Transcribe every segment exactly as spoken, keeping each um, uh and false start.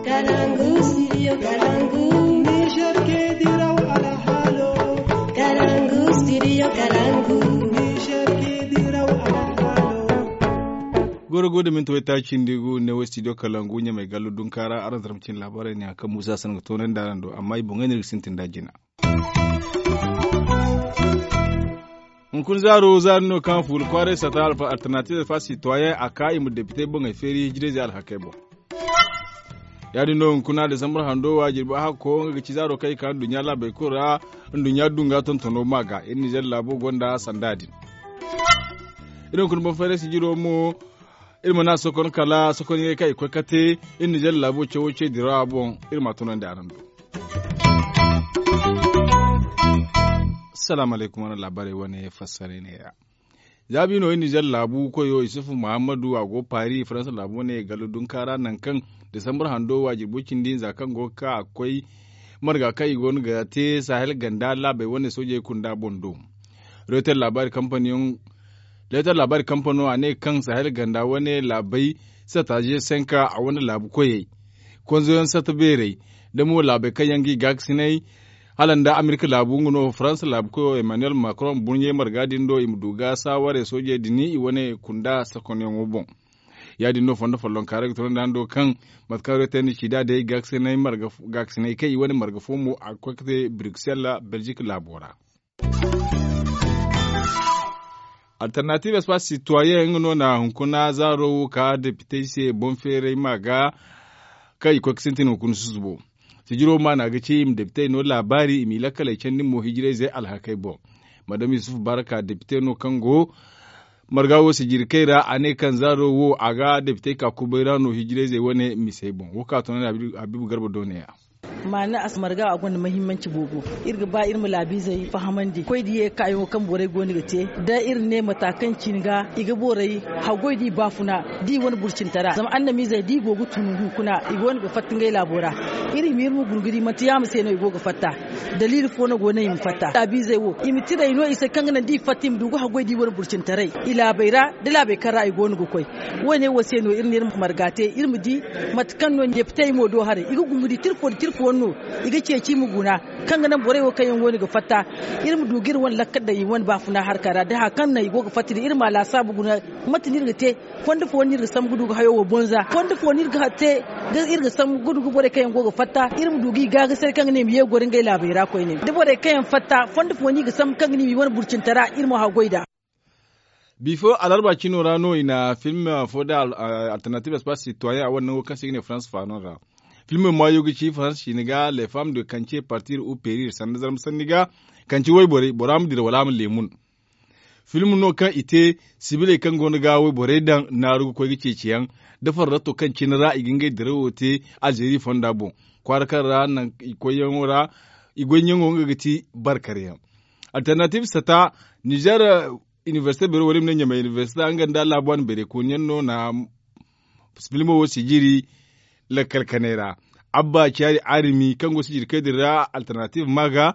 Kalangu, studio Kalangu. Niger ke diraw alhalo. Kalangu, studio Kalangu. Niger ke diraw alhalo. Goro go da minti waytaaci nda i gu ne wo studio Kalangu ɲamay gallo dunkaara araŋ zarma cine laabaarey ne hari kaŋ muusa sanga toonandi araŋ do amma i boŋey no iri ga sintin nd'a jina. Hunkuna zaaro zaari no kaŋ fuula kwaaray sata alfa alternatiiv alfa sitwayen a ka i ma depite boŋey feeri hijirayzey alhakey boŋ. Ya- din no hunkuna desambar hando wa jirbi hakko nga ga ci zaaro kaŋ i ka nduɲɲa laabey kulu ra. Nduɲɲa dunga tontono ma ga iri nizer laabo gonda sanda din. Iri hunkuna boŋ fayray sijiro mo iri mana sokon kala sokonyaŋey kaŋ i koy ka te iri nizer laabo cawo ce dirawa boŋ. Iri ma a tunandi araŋ do. Salaamu alaykum wane laabaarey wane fassaray neeya. Za bi no iri nizer laabu koyo isufu muhammadu a go paari faransa laabu wane gallo dunka ra nangu kaŋ desambar hando wa jirbo cindi hinza kaŋ go ga ka a ga koy marga kaŋ i go no ga te sahel ganda laabey wane soojey kunda boŋ do. Reetar laabaari kampaniyaŋ reetar laabaari kampano a ne kaŋ sahel ganda wane laabey sataze senka a wane laabu koyey konzoyaŋ sata beerey da mo laabey kaŋ yaŋ ga i gaakasinay hala nda amerika laabu nga no faransa laabu koyo emmanuel macron burɲey marga din do i ma du ga saawarey soojey din i wane kunda sakonyaŋo boŋ. Ya- din no fondo follonkaarey ga tunandi araŋ do kaŋ mate kaŋ reetar nda cida day gaakasinay kaŋ i wane marga fo mo a ga koy ga te bruxelles belgique laabo ra. Alternatiiv espace sitwayen nga no na hunkuna zaaro wo ka depitey se boŋ feeray ma ga kaŋ i koy ga sintin hunkuna susubo. Sijiro maana ga ci i ma depitey no laabaari i m'i lakkaley candi mo hijirayzey alhakey boŋ. Madam yusuf baraka depite no kaŋ go marga wo sijiri kay ra a ne kaŋ zaaro wo a ga depitey ka kubay ra no hijirayzey wane misey boŋ wo ka toonandi habiibu garba do ne- ya. Maana a si marga a gonda mahimmanci boobo. Iri ga ba iri ma laabiizey fahamandi koy da ye kaayaŋo kaŋ borey go no ga te da iri ne mata kaŋ cine ga i ga borey haggoy da i baafuna da i wane burcintara zama annamiizey da i go ga tun hunkuna i go no ga fatta ngey laabo ra. Iri ma iri ma guna ga di manti yaama se no i go ga fatta. Daliili fo no go no i ma fatta laabiizey wo i ma tiray no i se kaŋ ga naŋ da i fatta i ma du ga haggoy da i wane burcintaray i laabey ra da laabey kaŋ ra i go no ga koy. Wo- ne wo se no iri na iri marga te iri ma di mate kaŋ no depitey mo do haray i ga gumbu di tirfo nda tirfo no i ga ceeci i ma guna kaŋ ga naŋ borey wo kaŋ yaŋ go no ga fatta. Iri ma du ga iri wane lakkal daŋ i wane baafuna harka ra da hari kaŋ naŋ i go ga fatta din iri ma a laasaabu guna. Mate no iri ga te fondo fo no iri ga sambu ga du ga hayo wo bonza fondo fo no iri ga te iri ga sambu ga du ga borey kaŋ yaŋ go ga fatta iri ma du ga i gaagasaray kaŋ ga ne i ma ye ga goro ngey laabey ra koyne da borey kaŋ yaŋ fatta fondo fo no i ga sambu kaŋ ga ne i ma i wane burcintara iri ma haggoy nd'a. Bifo alarba cino ra no i na film fo da alternative espace citoyen a wane nango kaŋ se i ga ne farans faano ra. Film maayo ga ci farans ciine ga les femmes de kance partir ou perir sanda zarma sanni ga kance wayborey bora ma dira wala a ma leemun. Film no kaŋ i te sibiley kaŋ go no ga wayborey daŋ naaru ga koy ga ceeci yaŋ da farratto kaŋ cine ra i ga ngey dirawo te alzeeri fonda boŋ kwaara kaŋ ra naŋ i koyyaŋo ra i goyyaŋo nga ga ti barkar yaŋ. Alternative sata nizer inibersite beero wala i ma ne ɲamay inibersite nga nda laabu wane beerey kooni yaŋ no na filmo wo sijiri lakkal kanay ra. Abba caari arimi kaŋ go sijiri kay din ra alternative ma ga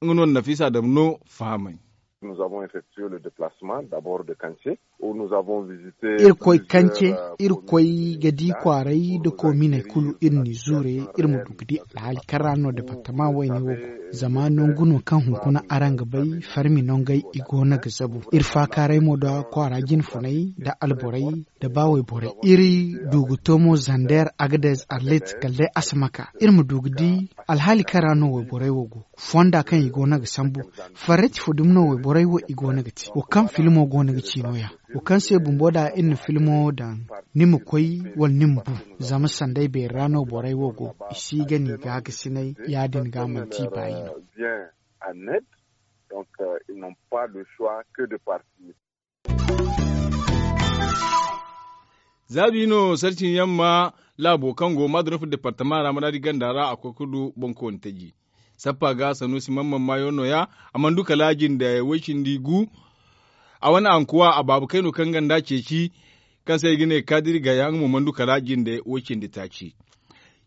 nga no na nafiisa dam no fahamay. Nous avons effectué le déplacement d'abord de kance où nous avons visité iri koy kance iri koy ga di kwaaray nda koominey kulu iri n'i zuure iri ma du ga di alhaali kaŋ ra no departement wayne wo go. Zama nangu no kaŋ hunkuna araŋ ga bay farmi nongey i go no ga zabu iri faakaaray mo da kwaara jinfunay nda alborey nda ba wayborey iri du ga to mo zander agadez arlit kala day asamaka iri ma du ga di alhaali kaŋ ra no wayborey wo go. Fonda kaŋ i go no ga sambu farrati fo dumi no wayborey wo i go no ga te wo kaŋ filmo go no ga ci no- ya wo kaŋ se bumbo da iri na filmo daŋ ni ma koy wala ni ma bu. Zama sanday beeri ra no borey wo go i si ga ni gaagasinay ya- din ga manti i baayi no. Donc ils n'ont pas le choix que de partir. Zaabi no sarcin yamma laabo kaŋ go madrof departement ra maraadi ganda ra a koy ga du boŋkooni taji. Sappa ga sanusi mamman maayo no- ya a mana du kala jinde way cindi gu. A wane ankuwa a baaba kayno kaŋ ganda ceeci kaŋ se i ga ne kaadiri gaya nga mo mana du kala jinde way cindi taaci.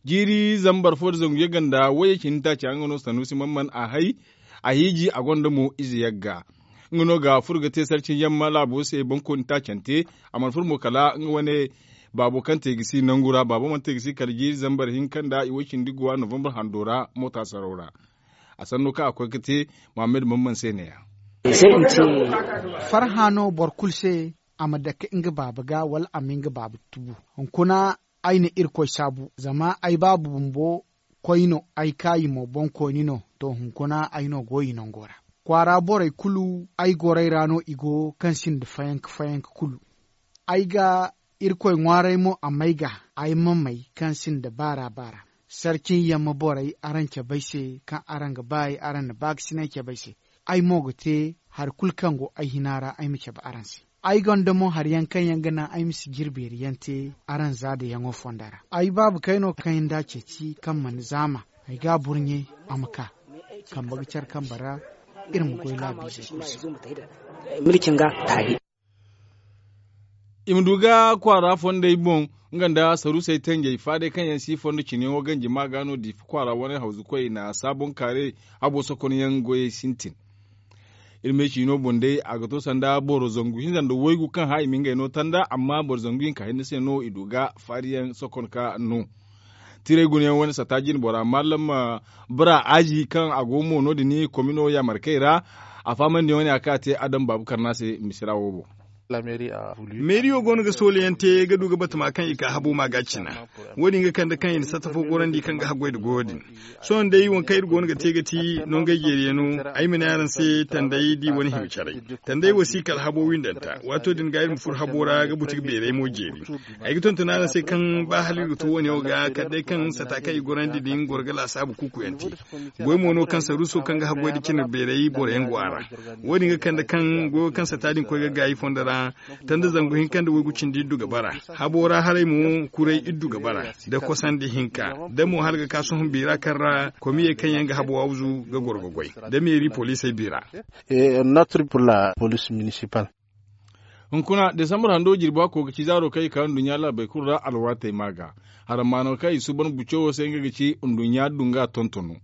Jiiri zambar fo nda zangu ye ganda wayye cindi taaca nga no sanusi mamman a hay a hiiji a gonda mo ize yagga. Nga no ga furo ga te sarci yamma laabo se boŋkooni taacante. A mana furo mo kala nga wane Baabo kaŋ te ga si nangu ra baabo mana te ga si kala jiiri zambar hinka nda i way cindi guwa novambar hando ra moota saraw ra. A sanno kaŋ a koy ga te muhammad bamban se ne- ya. Farhã no boro kulu se a ma dake nga baaba ga wala a ma nga baaba tubu. Hunkuna ay na irkoy saabu zama ay baaba bumbo koy no ay kaayi mo boŋkooni no. To hunkuna ay no go i nango ra kwaara borey kulu ay gorey ra no i go kaŋ sinda fayanka fayanka kulu. Ay ga irkoy ŋwaaray mo a may ga ay ma may kaŋ sinda baara baara. Sarcin yamma borey araŋ cabe ay se kaŋ araŋ ga ba ay araŋ na baakasinay cabe ay se. Ay mo ga te hari kulu kaŋ go ay hina ra ay ma cabe araŋ se. Ay gonda mo hari yaŋ kaŋ yaŋ ga naŋ ay ma si jirbeeri yaŋ te araŋ za da yaŋo fonda ra. Ay baaba kayno kaŋ yaŋ da ceeci kaŋ mana zaama ay ga a burɲe a ma ka kambe ga care kambe ra. Iri ma goy laabiizey kulu se. I ma du ga kwaara fondey boŋ nga nda saruusey tanjey faadey kaŋ yaŋ si fondo cine wo ganji ma ga no diifa kwaara wane hawzu koy i na saabon kaare habo sokonyaŋ goyey sintin. Iri me ciino boŋ day a ga to sanda boro zangu hinza nda waygu kaŋ hã i ma ngey no tanda amma boro zangu hinka hinne se no i du ga faariyaŋ sokon ka no. Tiray gunayaŋ wane sata jine bora mallam bura aaji kaŋ a go mo no- din komino yaamarkey ra. A fahamandi wane a kaŋ a te adam baabu karna se misira wo boŋ. Meeriyo go no ga soolayaŋ te ga du ga batama kaŋ i ka habo ma ga cina. Wo- din ga kande kaŋ i na satta fo gorandi kaŋ ga haggoy nda goyo din. Sohõ day waŋ kaŋ iri go no ga te ga ti nongey jeeriyaŋo. Ay ma ne araŋ se tanday da i wane hima caray. Tanday wo si kala habo windanta waato din ga iri ma furo habo ra ga buti ga beeray mo jeeri. Ay ga tonton araŋ se kaŋ ba hala iri ga to wo- ne wo ga kala day kaŋ sata kaŋ i gorandi din goro ga laasaabu kuukuyaŋ te. Goy mo no kaŋ saruuso kaŋ ga haggoy nda cine beeray boro yaŋ go a ra. Wo- din ga kande kaŋ goyo kaŋ sata din koy ga gaayi fondo ra. Tanda zangu hinka nda waygu cindi iddu ga bara. Habo ra haray mo kuray iddu ga bara da kosandi hinka da mo hala ga ka sohõ biira kaŋ ra komiyey kaŋ yaŋ ga habo wawzu ga goro ga goy da meeri poliisey biira. Hunkuna desambar hando jirbi a koy ga ci zaaro kaŋ i ka nduɲɲa laabey kulu ra alwaatey ma ga. Harammaano kaŋ i suuban buco wo se nga ga ci nduɲɲa dunga tontono.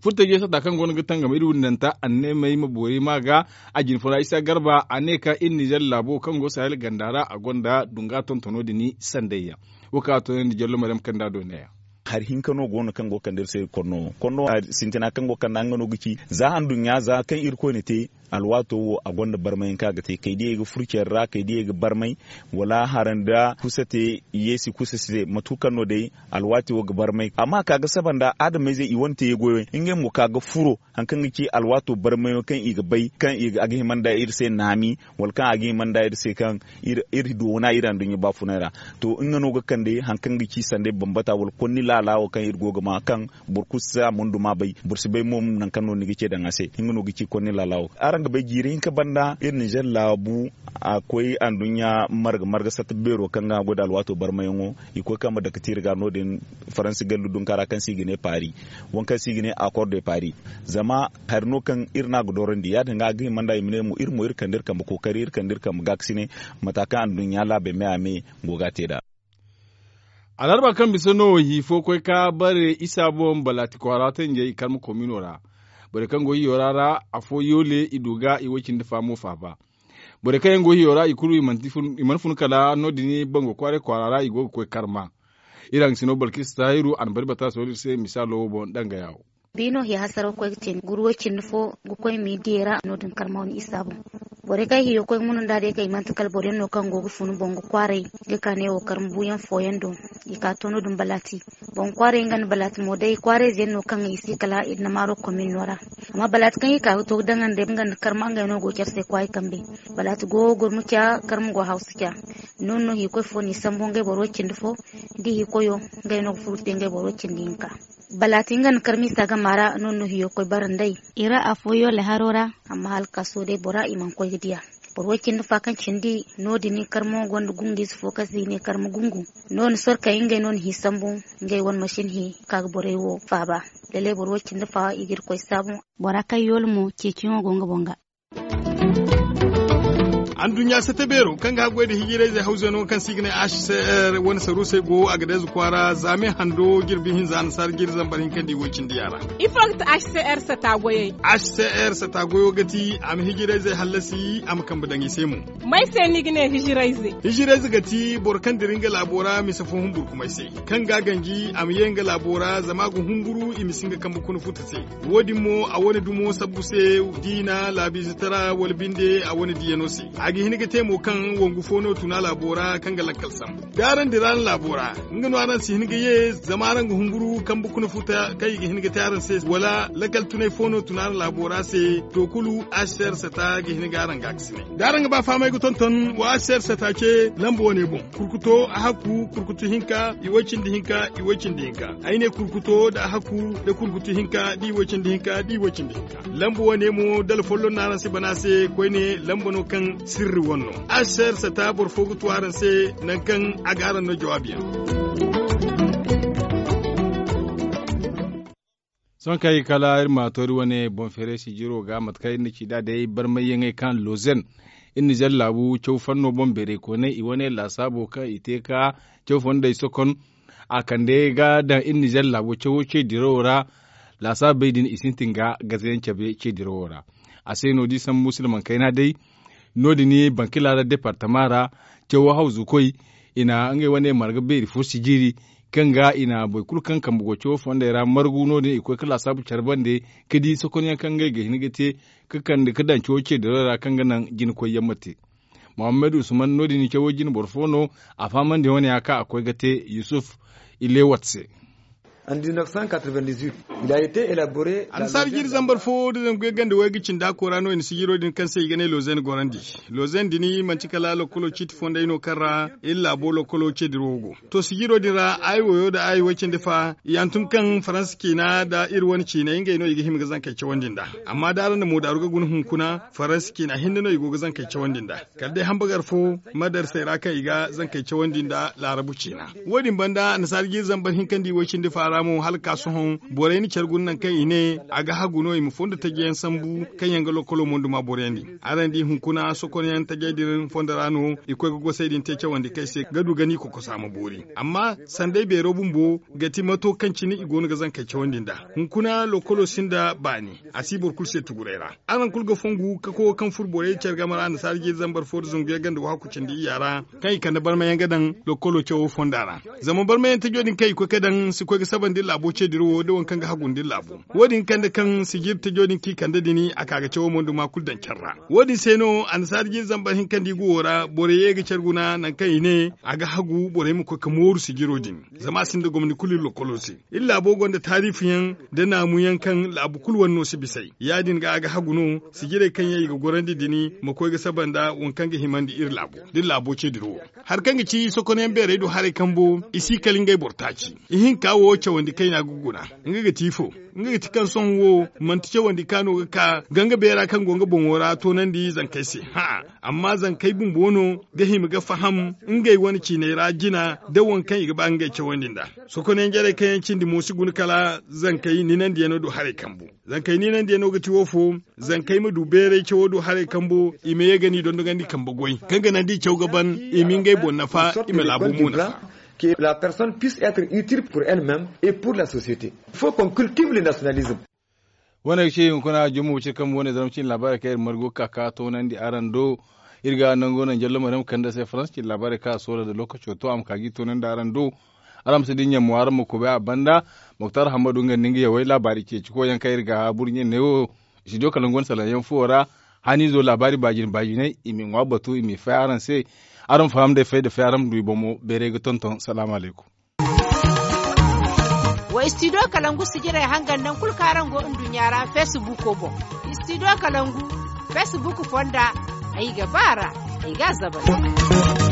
Furtajey sata kaŋ go no ga tangam iri windanta anneemey ma boori ma ga. A jine funa isa garba a ne ka iri nizer laabo kaŋ go sahel ganda ra a gonda dunga tontono din sandayyaŋ. Wo kaŋ a toonandi jallo maryam kaŋ nda a do neeya. Hari hinka no go no kaŋ go ga kande iri se konno wo konno wo hari sintina kaŋ go ga kande nga no ga ci za handuɲɲa za kaŋ irkoy na te. Alwaato wo a gonda barmayaŋ kaŋ a ga te kay diyey ga furo care ra kay diyey ga barmay wala hara nda kusa te yeesi kusa si te mate kulu kaŋ no day. Alwaati wo ga barmay amma ka ga saba nda adamayzey i wane te goyo ngey mo ka ga furo hari kaŋ ga ci alwaato barmayaŋo kaŋ i ga bay kaŋ a ga hima nda iri se naami wala kaŋ a ga hima nda iri se kaŋ iri doona iri anduɲɲa baafunay ra. To nga no ga kande hari kaŋ ga ci sanda ay bambata wala konni laala wo kaŋ iri go ga ma kaŋ boro kulu si a mundu ma bay boro si bay mo nangu kaŋ no ni ga ce daŋ a se nga no ga ci konni laala wo. Araŋ ga bay jiiri hinka banda iri nizer laabu a koy anduɲɲa marga marga satta beero kaŋ ga a goy nda alwaato barmayaŋo. I koy kaŋ ma dake tiiri ga no- din faransi gallu dunka ra kaŋ se i ga ne paari. Waŋ kaŋ se i ga ne akor de paari. Zama hari no kaŋ iri no a ga doorandi ya- din ga a ga hima nda i ma ne mo iri mo iri kande iri kambe kookari iri kande iri kambe gaakasine. Mata kaŋ anduɲɲa laabey me a me go ga a te nd'a. Alharba kaŋ bisa no hi fo koy ka bare isa boŋ balaati kwaara tanjey i karma komino ra. Borey kaŋ go hiyo ra ra afo yoole i du ga i way cindi faamo faaba. Borey kaŋ yaŋ go hiyo ra i kulu i mana fun kala no- din bango kwaaray kwaara ra i go ga koy karma. Iri haŋ ga si no balkis tahiru a na bari bata sohõ iri se misaalo wo boŋ danga yaawo. Biino hiya hasaraw koy ga te guru way cindi fo ga koy miidiyey ra no- din karma wane isa boŋ. Borey kaŋ hiyo koy ga munu nda day kaŋ i manti kala boro yaŋ no kaŋ go ga funu boŋ ga kwaaray ga ka ne wo karma buuyaŋ fooyaŋ do. I ka to no- din balaati boŋ kwaaray nga nda balaati mo day kwaarayze yaŋ no kaŋ i si kala i na maaro komin no ra. Amma balaati kaŋ i ka ga to ga daŋandi nga nda karma ngey no go care se kwaayi kambe. Balaati go gurmu ca karma go hawsu ca. No- din no hiikoy fo n'i sambu ngey boro way cindi fo. Da hiikoyo ngey no ga furu te ngey boro way cindi hinka. Balaati nga nda karma isa gama ra no- din no hiyo koy bara nd'ey. I ra afo yoole haro ra. Amma hala ga ka sohõ day bora i mana koy ga diya. Boro way cindi fa kaŋ cindi no- din karmo gonda gungu ize fo kaŋ se i ne karma gungu. No- din sorkey ngey no na hi sambu ngey wane masin hi ka ga borey wo faaba. Lallay boro way cindi fa i ga irkoy saabu. Bora kaŋ yoole mo ceeciyaŋo go nga boŋ ga. Anduɲɲa sata beero kaŋ ga haggoy nda hijirayzey hawzeno kaŋ se i ga ne h c r wane saruusey go a ga deeza kwaara zaame hando jirbi hinza annasaara jiri zambar hinka nda i woy cindi yaŋ ra. Ifo ga ti h c r sata goyey? H c r sata goyo ga ti a ma hijirayzey hallasi a ma kambe daŋ i se mo. May se ni ga ne hijirayze? Hijirayze ga ti boro kaŋ dira nga laabo ra mise fo humburkumay se, kaŋ ga a ganji a ma ye nga laabo ra zama a ga humburu i ma si nga kambe kuna futa se. Wo- din mo a wane dumo sabbu se, diina laabiize tara wala binde a wane diiyano se. A ga hin ga te mo kaŋ wangu fo no tun a laabo ra kaŋ ga lakkal sambu da araŋ dira araŋ laabo ra, nga no araŋ si hin ga ye zama araŋ ga humburu kambe kuna futa kaŋ i ga hin ga te araŋ se wala lakkal tunay fo no tun araŋ laabo ra se. To kulu, h c r sata ga hin ga araŋ ga a ga si ne da araŋ ga ba fahamay ga tonton wa h c r sata ce lamba wane boŋ. Kurkuto a hakku kurkutu hinka i woy cindi hinka i woy cindi hinka. Ay ne kurkuto nda a hakku nda kurkutu hinka da i woy cindi hinka da i woy cindi hinka. Lamba wane mo dala folloŋ no araŋ si bana se koyne lamba no kaŋ sirri wane no. H c r sata boro fo ga tu araŋ se nangu kaŋ a ga araŋ no jawaabi yaŋ. Sohõ kaŋ ay ga kala iri ma toori wane boŋ feeray sijiro ga mate kaŋ iri na ci nd'a day barmayyaŋey kaŋ lozen iri na zar laabu caw fanno boŋ beeray koonay i wane laasaabo kaŋ i te ka caw fondey sokon. A kande ga daŋ iri na zar laabo cawo ce dirawo ra. Laasaabey din i sintin ga gazayaŋ cabe ce dirawo ra. A se no da i sambu silmaŋ kayna day. No- din bankila ra departama ra cawo hawzukoy i na ngey wane marga beeri fo sijiri kaŋ ga i na boro kulu kaŋ kambe go cawo fondey ra margu no- din i koy ka laasaabu care bande ka di sokonyaŋ kaŋ ngey ga hin ga te ka kande ka daŋ cawo ce dirawo ra kaŋ ga naŋ jina koyyaŋ ma te. Muhammad usman no- din cawo jine boro fo no a fahamandi wane ya kaŋ a koy ga te yusuf ilewat se. Annasaara jiri zambar fo da zangu yaŋ ganda wayga cindi a koora no i na sijiro din kaŋ se i ga ne lozen gorandi. Lozen din manti kala lokolo ciiti fondey no kaŋ ra iri laabo lokolo ce dirawo go. To sijiro din ra aayi wayo nda aayi way cindi fa i hantum kaŋ faransa ciina nda iri wane ciinay ngey no i ga hima ga zankey cawandi nd'a. Amma da araŋ na moodaaru ga guna hunkuna faransa ciina hinne no i go ga zankey cawandi nd'a. Kala day hambagar fo madarsey ra kaŋ i ga zankey cawandi nda laarabu ciina. Wo- din banda annasaara jiiri zambar hinka nda i way cindi faara mo hala ga ka sohõ borey na care guna nangu kaŋ i ne a ga hagu no i ma fondo taji yaŋ sambu kaŋ yaŋ ga lokolo monduma boroyaŋ din. Araŋ di hunkuna sokonyaŋ tajey din fondo ra no i koy ga gosey din te cawandi kaŋ ay se ga du ga ni kokosa ma boori. Amma sanday beero bumbo ga ti mato kaŋ cine i go no ga zankey cawandi nd'a. Hunkuna lokolo sinda baani a si boro kulu se tuguray ra. Araŋ kulu ga fongu ka koy kaŋ furo borey care game ra annasaara jiiri zambar fo nda zangu yaŋ ganda wahakku cindi iyya ra kaŋ i kande barmayaŋ ga daŋ lokolo cawo fonda ra. Zama barmayaŋ tajo din kaŋ i koy ga daŋ si koy ga saba nda iri laabo ce dirawo nda waŋ kaŋ ga hagu nda iri laabo. Wo- din kande kaŋ sijiri tajo din kaŋ i kande din a ka ga cawo monduma kulu daŋ care ra. Wo- din se no annasaara jiiri zambar hinka nda i guwo ra borey ye ga care guna nangu kaŋ i ne a ga hagu borey ma koy ga mooru sijiro din. Zama a sinda gomni kulu iri lokolo se. Iri laabo gonda taariifu yaŋ nda naamu yaŋ kaŋ laabu kulu wane no si bis'ey ya- din ga a ga hagu no sijirey kaŋ yaŋ i ga gorandi din ma koy ga saba nda waŋ kaŋ ga himandi iri laabo da iri laabo ce dirawo. Hari kaŋ ga ci sokonyaŋ beerey do haray kambo i si kala ngey boro taaci. Ihinka wo cawandi kayna ga guna. Nga ga ti ifo? Nga ga ti kaŋ sohõ wo manti cawandi ka no ga ka ganga beera kaŋ go nga boŋo ra toonandi zankey se. Hã'a. Amma zankey bumbo no ga hima ga faham ngey wane ciiney ra jina da waŋ kaŋ i ga ba ngey cawandi nd'a. Sokonyaŋ jarey kaŋ yaŋ cindi mo si guna kala zankey ninandiyaŋo do haray kambu. Zankey ninandiyaŋo ga ti wo fo? Zankey ma du beeray cawo do haray kambo i ma ye ga ni dondogandi kambe goy kaŋ ga naŋ da i caw ga ban i ma ngey boŋ nafa i ma laabo mo nafa. Que la personne puisse être utile pour elle même et pour la société. Il faut qu'on cultive le nationalisme. Wane ga ci hunkuna jumma wacir kambe wane zaramcin laabaarey kaŋ iri margu ga ka ka toonandi araŋ do. Iri ga nango naŋ jallo maryam kande se faransa cin laabaarey kaŋ a soola nda lookaco to a ma ka ga i toonandi araŋ do. Araŋ ma si dinya mo araŋ ma kubay a banda. Moktar hammadu nga nda nga yawey laabaari ceeci koyyaŋ kaŋ iri ga burɲe ne wo. Studio kalangu wane salaŋ yaŋ fuwo ra. Haniizo laabaari baajine baajiney i m'i ŋwa batu i m'i fay araŋ se. Araŋ ma faham day fay nda fay araŋ ma du i boŋ mo beeray ga tonton salaamu alaykum. Wa studio kalangu sijirey hangan naŋ kulu kaŋ araŋ go nduɲɲa ra facebook boŋ. Studio kalangu facebook fonda ay ga ba a ra. Ay ga a zabari.